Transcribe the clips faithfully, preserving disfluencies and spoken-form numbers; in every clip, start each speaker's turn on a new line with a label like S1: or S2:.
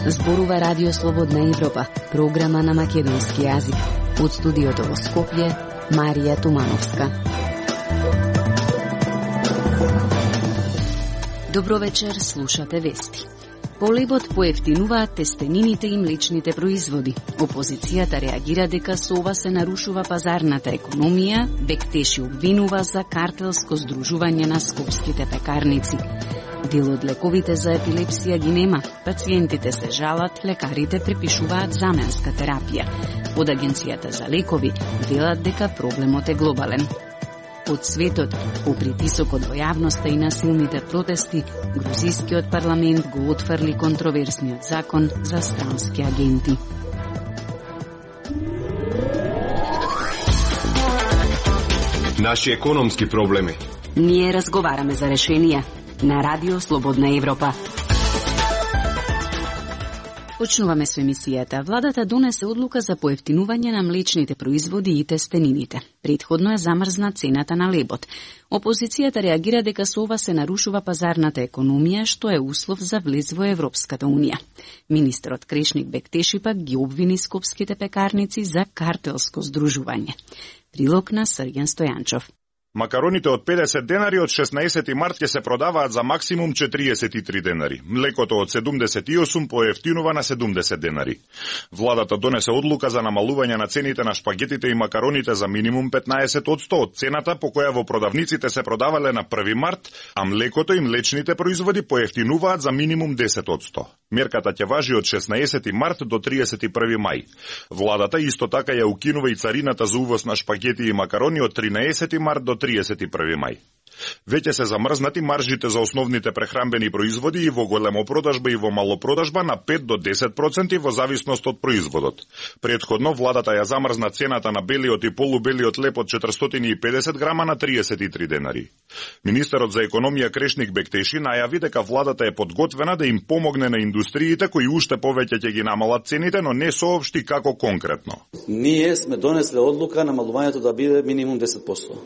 S1: Зборува Радио Слободна Европа, програма на македонски јазик. Од студиото во Скопје, Марија Тумановска. Добро вечер, слушате вести. По лебот поевтинуваат тестенините и млечните производи. Опозицијата реагира дека со ова се нарушува пазарната економија, Бектеши обвинува за картелско здружување на скопските пекарници. Дел од лековите за епилепсија ги нема. Пациентите се жалат, лекарите препишуваат заменска терапија. Од Агенцијата за лекови велат дека проблемот е глобален. Од светот, по притисокот во јавноста и насилните протести, грузискиот парламент го отфрли контроверсниот закон за странски агенти.
S2: Наши економски проблеми.
S1: Ние разговараме за решенија на Радио Слободна Европа. Почнуваме со емисијата. Владата донесе одлука за поевтинување на млечните производи и тестенините. Предходно е замрзна цената на лебот. Опозицијата реагира дека со ова се нарушува пазарната економија, што е услов за влез во Европската унија. Министерот Крешник Бектеши пак ги обвини скопските пекарници за картелско здружување. Прилог на Срѓан Стојанчов.
S3: Макароните од педесет денари од шеснаесети март ќе се продаваат за максимум четириесет и три денари. Млекото од седумдесет и осум поевтинува на седумдесет денари. Владата донесе одлука за намалување на цените на шпагетите и макароните за минимум петнаесет одсто од цената по која во продавниците се продавале на први март, а млекото и млечните производи поевтинуваат за минимум десет одсто. Мерката ќе важи од шеснаесети март до триесет и први мај. Владата исто така ја укинува и царината за увоз на шпагети и макарони од тринаесети март до триесет и први мај. Веќе се замрзнати маржите за основните прехранбени производи и во големопродажба и во малопродажба на пет до десет проценти во зависност од производот. Предходно владата ја замрзна цената на белиот и полубелиот леб од четиристотини и педесет грама на триесет и три денари. Министерот за економија Крешник Бектеши најави дека владата е подготвена да им помогне на индустриите кои уште повеќе ќе ги намалат цените, но не соопшти како конкретно.
S4: Ние сме донесле одлука намалувањето да биде минимум десет одсто.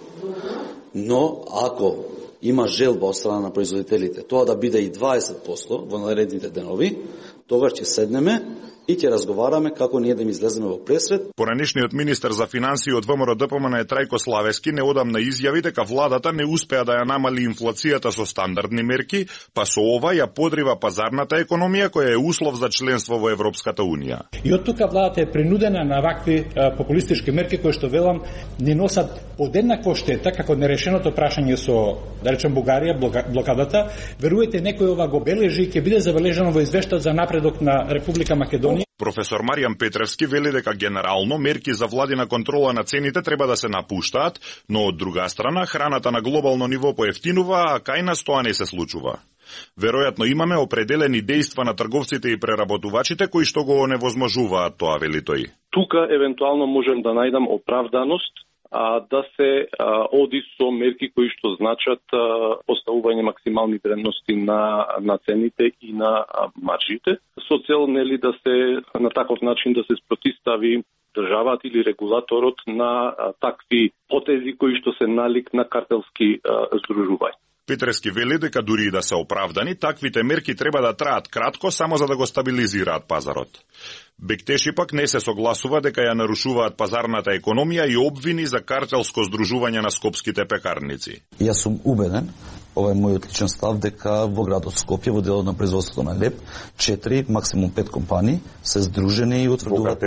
S4: Но ако има желба од страна на производителите тоа да биде и дваесет одсто во наредните денови, тогаш ќе седнеме и ќе разговараме како ние да им излеземе во пресвет.
S3: Поранешниот министер за финансии од ВМРО-ДПМН е Трајко Славески неодамна изјави дека владата не успеа да ја намали инфлацијата со стандардни мерки, па со ова ја подрива пазарната економија која е услов за членство во Европската унија.
S5: И од тука владата е принудена на вакви а, популистички мерки кои што велам не носат подеднакво штета како нерешеното прашање со, да речем, Бугарија, блокадата. Веруете, некој ова го бележи и ќе биде забележано во извештајот за напредок на Република Македонија.
S3: Професор Маријан Петревски вели дека генерално мерки за владина контрола на цените треба да се напуштаат, но од друга страна храната на глобално ниво поевтинува, а кај нас тоа не се случува. Веројатно имаме определени дејства на трговците и преработувачите кои што го оневозможуваат тоа, вели тој.
S6: Тука евентуално можем да најдам оправданост а, да се а, оди со мерки кои што значат а, поставување максимални вредности на, на цените и на а, маржите, со цел нели да се на таков начин да се спротистави државата или регулаторот на а, такви потези кои што се налик на картелски а, здружувања.
S3: Петрески вели дека дури и да се оправдани, таквите мерки треба да траат кратко само за да го стабилизираат пазарот. Бектеши пак не се согласува дека ја нарушуваат пазарната економија и обвини за картелско здружување на скопските пекарници.
S7: Јас сум убеден, ова е мојот личен став, дека во градот Скопје во делот на производството на леб, четири, максимум пет компании се здружени и утврдуваат,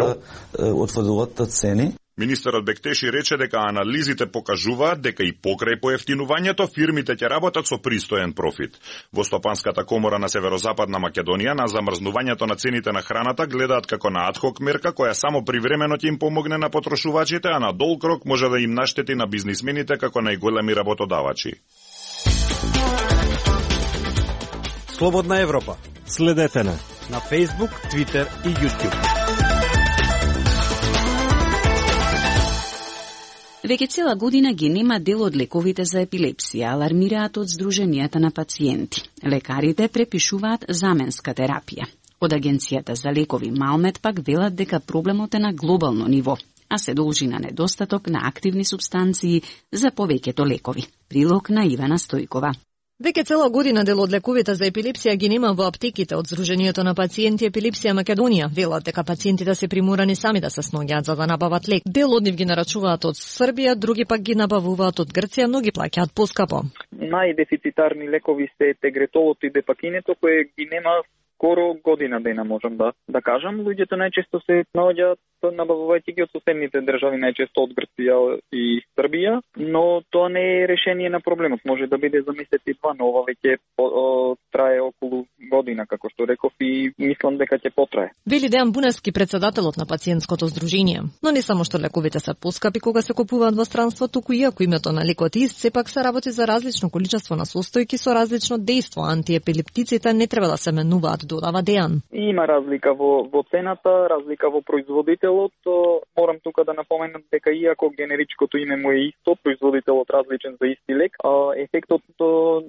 S7: утврдуваат цени.
S3: Министерот Бектеши рече дека анализите покажуваат дека и покрај поевтинувањето фирмите ќе работат со пристоен профит. Во Стопанската комора на Северозападна Македонија на замрзнувањето на цените на храната гледаат како на адхок мерка која само привремено ќе им помогне на потрошувачите, а на долг рок може да им наштети на бизнисмените како најголеми работодавачи.
S8: Слободна Европа. Следете на на Facebook, Twitter и YouTube.
S1: Веќе цела година ги нема дел од лековите за епилепсија, алармираат од Сдруженијата на пациенти. Лекарите препишуваат заменска терапија. Од Агенцијата за лекови Малмет пак велат дека проблемот е на глобално ниво, а се должи на недостаток на активни супстанции за повеќето лекови. Прилог на Ивана Стојкова.
S9: Веќе цела година дел од лековите за епилепсија ги нема во аптеките од Сдруженијето на пациенти епилепсија Македонија. Велат дека пациентите се приморани сами да се сноѓаат за да набават лек. Дел од нив ги нарачуваат од Србија, други пак ги набавуваат од Грција, но ги плаќаат поскапо.
S10: Најдефицитарни лекови се тегретолот и депакинето, кои ги нема скоро година дена, можам да да кажам. Луѓето најчесто се наоѓаат набавувајќи ги од соседните држави, најчесто од Грција и Србија, но тоа не е решение на проблемот. Може да биде за месец и два, но ова веќе трае околу година, како што реков, и мислам дека ќе потрае.
S9: Вели Дејан Буневски, председателот на пациентското здружение. Но не само што лековите се поскапи кога се купуваат во странство, туку и ако името на лекот ист, сепак се работи за различно количество на состојки со различно дејство. Антиепилептиците не треба да се менуваат, додава Дејан.
S10: Има разлика во во цената, разлика во производителот. Морам тука да напоменам дека иако генеричкото име му е исто, производителот различен за исти лек, а ефектот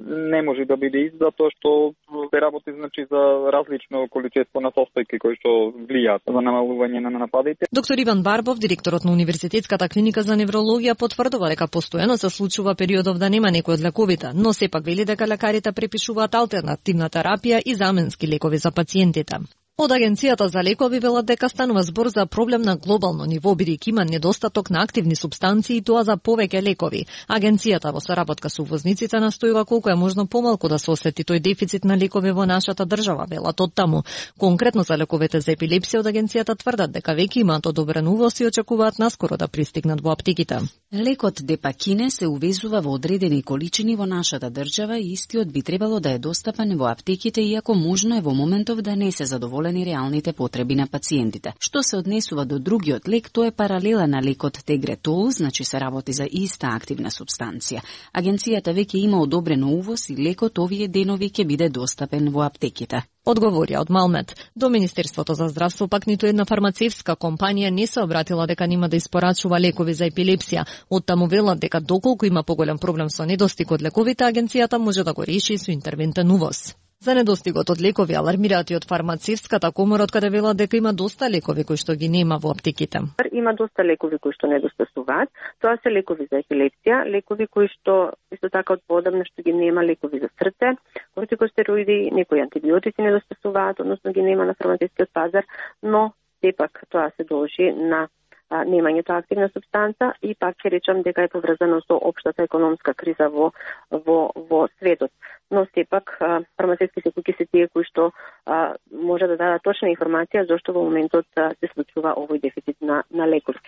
S10: не може да биде ист, затоа што се работи значи за различно количество на состојки кои што влијаат за намалување на нападите.
S9: Доктор Иван Барбов, директорот на Универзитетската клиника за неврологија, потврдува дека постојано се случува периодов да нема некој од лековите, но сепак вели дека лекарите препишуваат алтернативна терапија и заменски лекови за пациентите. Од Агенцијата за лекови велат дека станува збор за проблем на глобално ниво, бидејќи има недостаток на активни супстанции и тоа за повеќе лекови. Агенцијата во соработка со увозниците настојува колку е можно помалку да се осети тој дефицит на лекови во нашата држава, велат од таму. Конкретно за лековите за епилепсија од агенцијата тврдат дека веќе имаат одобрен увоз и очекуваат наскоро да пристигнат во аптеките.
S1: Лекот Депакине се увезува во одредени количини во нашата држава и истиот би требало да е достапен во аптеките, иако можно е во моментов да не се задоволени реалните потреби на пациентите. Што се однесува до другиот лек, тоа е паралела на лекот Тегретол, значи се работи за иста активна супстанција. Агенцијата веќе има одобрено увоз и лекот овие денови ќе биде достапен во аптеките.
S9: Одговорија од Малмет. До Министерството за здравство пак ниту една фармацевтска компанија не се обратила дека нема да испорачува лекови за епилепсија. Од таму велат дека доколку има поголем проблем со недостиг од лековите, агенцијата може да го реши со интервентен увоз. За недостигот од лекови алармираат и од фармацевтската комора, од каде велат дека има доста лекови кои што ги нема во аптеките.
S11: Има доста лекови кои што недостасуваат. Тоа се лекови за епилепсија, лекови кои што исто така од поодамна што ги нема, лекови за срце, кортикостероиди, некои антибиотици недостасуваат, односно ги нема на фармацевтскиот пазар, но сепак тоа се должи на немањето активна субстанца и пак ќе речам дека е поврзано со општата економска криза во во во светот. Но сепак фармацевтските куќи се тие кои што а, може да дадат точна информација зошто во моментот а, се случува овој дефицит на на лекови.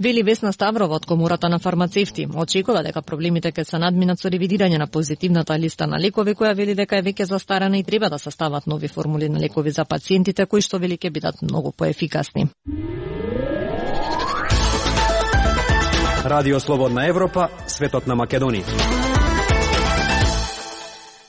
S9: Вели Весна Ставрова од Комората на фармацевти. Очекува дека проблемите ќе се надминат со ревидирање на позитивната листа на лекови, која вели дека е веќе застарена и треба да се стават нови формули на лекови за пациентите, кои што вели ќе бидат многу поефикасни.
S8: Радио Слободна Европа, светот на Македонија.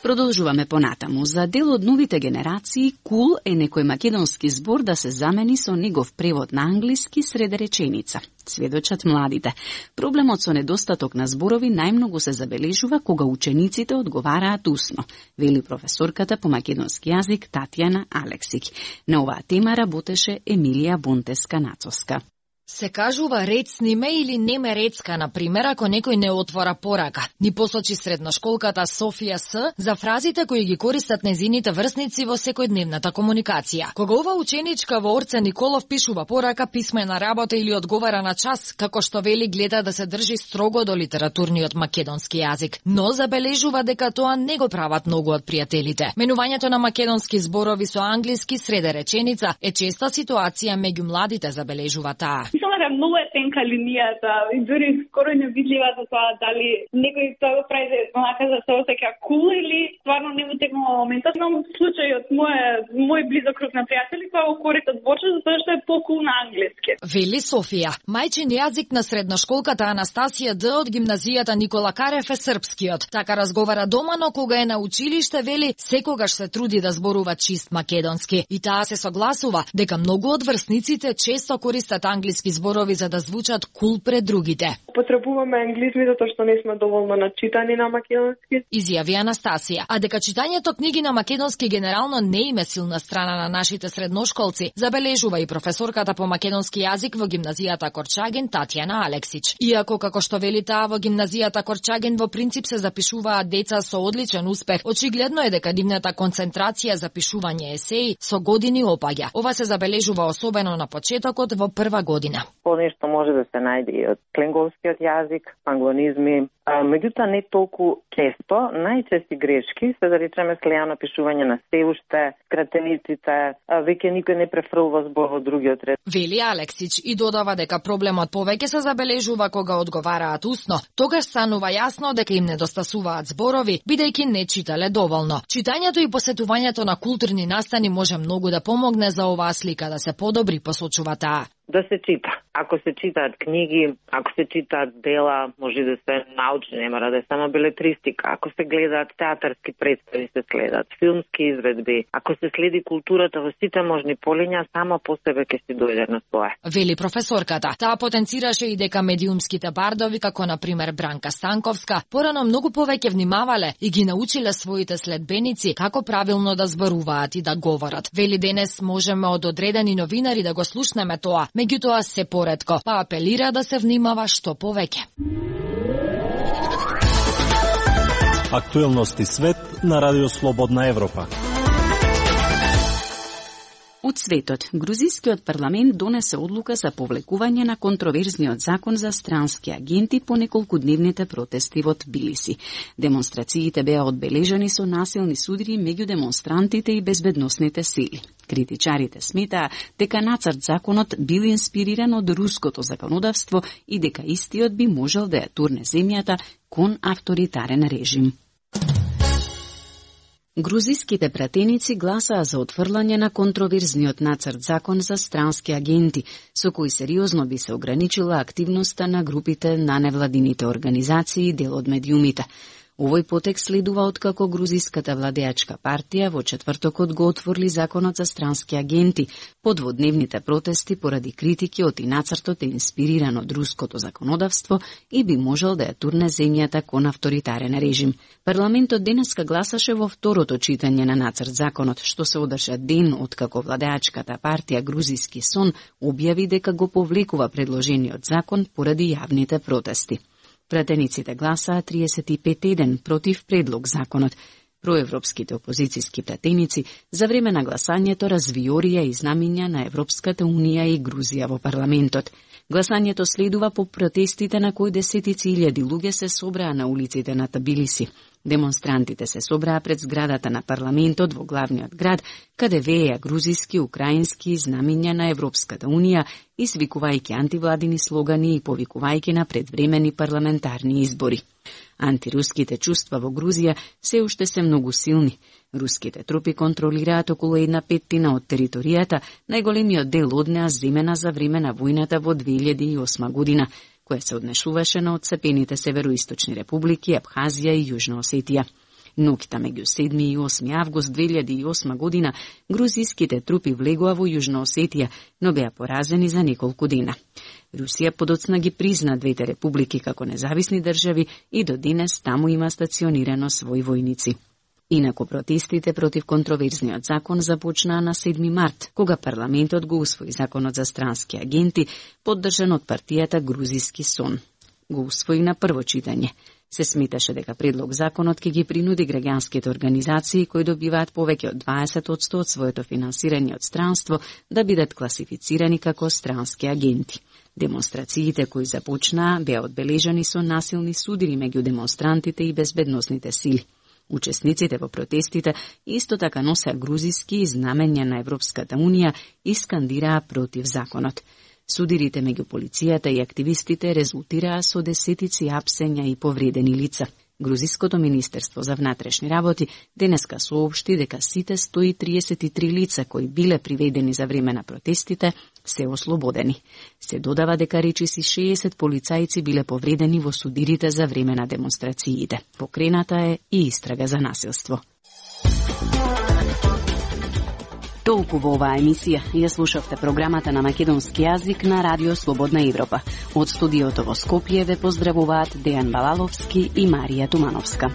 S1: Продолжуваме понатаму. За дел од новите генерации, кул е некој македонски збор да се замени со негов превод на англиски сред реченица. Сведочат младите. Проблемот со недостаток на зборови најмногу се забележува кога учениците одговараат усно, вели професорката по македонски јазик Татјана Алексик. На оваа тема работеше Емилија Бунтеска-Нацовска.
S12: Се кажува рецни ме или не ме рецка, например, ако некој не отвора порака. Ни посочи средношколката Софија С за фразите кои ги користат незините врсници во секојдневната комуникација. Кога ова ученичка во Орце Николов пишува порака, писмена работа или одговара на час, како што вели, гледа да се држи строго до литературниот македонски јазик. Но забележува дека тоа не го прават многу од пријателите. Менувањето на македонски зборови со англиски среде реченица е честа ситуација меѓу младите, забележува таа.
S13: Мислам дека многу е тенка линијата и дури скоро не видлива за тоа дали некој тоа го прави онака за се осеќа кул или стварно не му текнува моментот. Имам случај од мој мој близок круг на пријатели кои го користат бочо затоа што е покул на англиски.
S12: Вели Софија. Мајчин јазик на средношколката Анастасија Д од гимназијата Никола Карев е српскиот. Така разговара дома, но кога е на училиште, вели, секогаш се труди да зборува чист македонски. И таа се согласува дека многу од врсниците често користат англиски зборови за да звучат кул пред другите.
S14: потребуваме англизми затоа што не сме доволно начитани на македонски.
S12: Изјави Анастасија, а дека читањето книги на македонски генерално не има силна страна на нашите средношколци, забележува и професорката по македонски јазик во гимназијата Корчаген Татјана Алексич. Иако како што вели таа во гимназијата Корчаген во принцип се запишуваат деца со одличен успех, очигледно е дека нивната концентрација за пишување есеи со години опаѓа. Ова се забележува особено на почетокот во прва година.
S15: Понешто може да се најде и од кленговскиот јазик, англонизми, а, меѓутоа не толку често. Најчести грешки се да речеме слејано пишување на се уште, скратениците, веќе никој не префрлува збор во другиот ред.
S12: Вели Алексич и додава дека проблемот повеќе се забележува кога одговараат устно. Тогаш станува јасно дека им недостасуваат зборови, бидејќи не читале доволно. Читањето и посетувањето на културни настани може многу да помогне за оваа слика да се подобри, посочува таа.
S15: Да се чита. Ако се читаат книги, ако се читаат дела, може да се научни, не мора да е само белетристика. Ако се гледаат театарски представи, се следат филмски изведби. Ако се следи културата во сите можни полиња, само по себе ќе си дојде на свое.
S12: Вели професорката. Таа потенцираше и дека медиумските бардови, како на пример Бранка Станковска, порано многу повеќе внимавале и ги научиле своите следбеници како правилно да зборуваат и да говорат. Вели денес можеме од одредени новинари да го слушнеме тоа, меѓутоа се поретко, па апелира да се внимава што повеќе.
S8: Актуелности свет на Радио Слободна Европа.
S1: Од светот, грузискиот парламент донесе одлука за повлекување на контроверзниот закон за странски агенти по неколкудневните протести во Тбилиси. Демонстрациите беа одбележани со насилни судри меѓу демонстрантите и безбедносните сили. Критичарите сметаа дека нацрт законот бил инспириран од руското законодавство и дека истиот би можел да ја турне земјата кон авторитарен режим. Грузиските пратеници гласаа за отфрлање на контроверзниот нацрт закон за странски агенти, со кој сериозно би се ограничила активноста на групите на невладините организации и дел од медиумите. Овој потек следува откако грузиската владеачка партија во четвртокот го отворли законот за странски агенти, под дводневните протести поради критики од и нацртот е инспириран од руското законодавство и би можел да ја турне земјата кон авторитарен режим. Парламентот денеска гласаше во второто читање на нацрт законот, што се одржа ден откако владеачката партија Грузиски сон објави дека го повлекува предложениот закон поради јавните протести. Пратениците гласаа триесет и пет еден против предлог законот. Проевропските опозицијски пратеници за време на гласањето развиорија и знамиња на Европската унија и Грузија во парламентот. Гласањето следува по протестите на кои десетици илјади луѓе се собраа на улиците на Тбилиси. Демонстрантите се собраа пред зградата на парламентот во главниот град, каде вееа грузиски, украински знамиња на Европската унија, извикувајќи антивладини слогани и повикувајќи на предвремени парламентарни избори. Антируските чувства во Грузија се уште се многу силни. Руските трупи контролираат околу една петтина од територијата, најголемиот дел од неа земена за време на војната во две илјади и осма година, која се однесуваше на одцепените североисточни републики Абхазија и Јужна Осетија. Ноќта меѓу седми и осми август две илјади и осма година грузиските трупи влегоа во Јужна Осетија, но беа поразени за неколку дена. Русија подоцна ги призна двете републики како независни држави и до денес таму има стационирано своји војници. Инаку протестите против контроверзниот закон започнаа на седми март, кога парламентот го усвои законот за странски агенти, поддржан од партијата Грузиски сон. Го усвои на прво читање. Се сметаше дека предлог законот ќе ги принуди граѓанските организации кои добиваат повеќе од дваесет одсто од своето финансирање од странство да бидат класифицирани како странски агенти. Демонстрациите кои започнаа беа одбележани со насилни судири меѓу демонстрантите и безбедносните сили. Учесниците во протестите исто така носеа грузиски знамења на Европската унија и скандираа против законот. Судирите меѓу полицијата и активистите резултираа со десетици апсења и повредени лица. Грузиското министерство за внатрешни работи денеска соопшти дека сите сто и триесет и три лица кои биле приведени за време на протестите се ослободени. Се додава дека речиси шеесет полицајци биле повредени во судирите за време на демонстрациите. Покрената е и истрага за насилство. Толку во оваа емисија ја слушавте програмата на македонски јазик на Радио Слободна Европа. Од студиото во Скопје ве поздравуваат Дејан Балаловски и Марија Тумановска.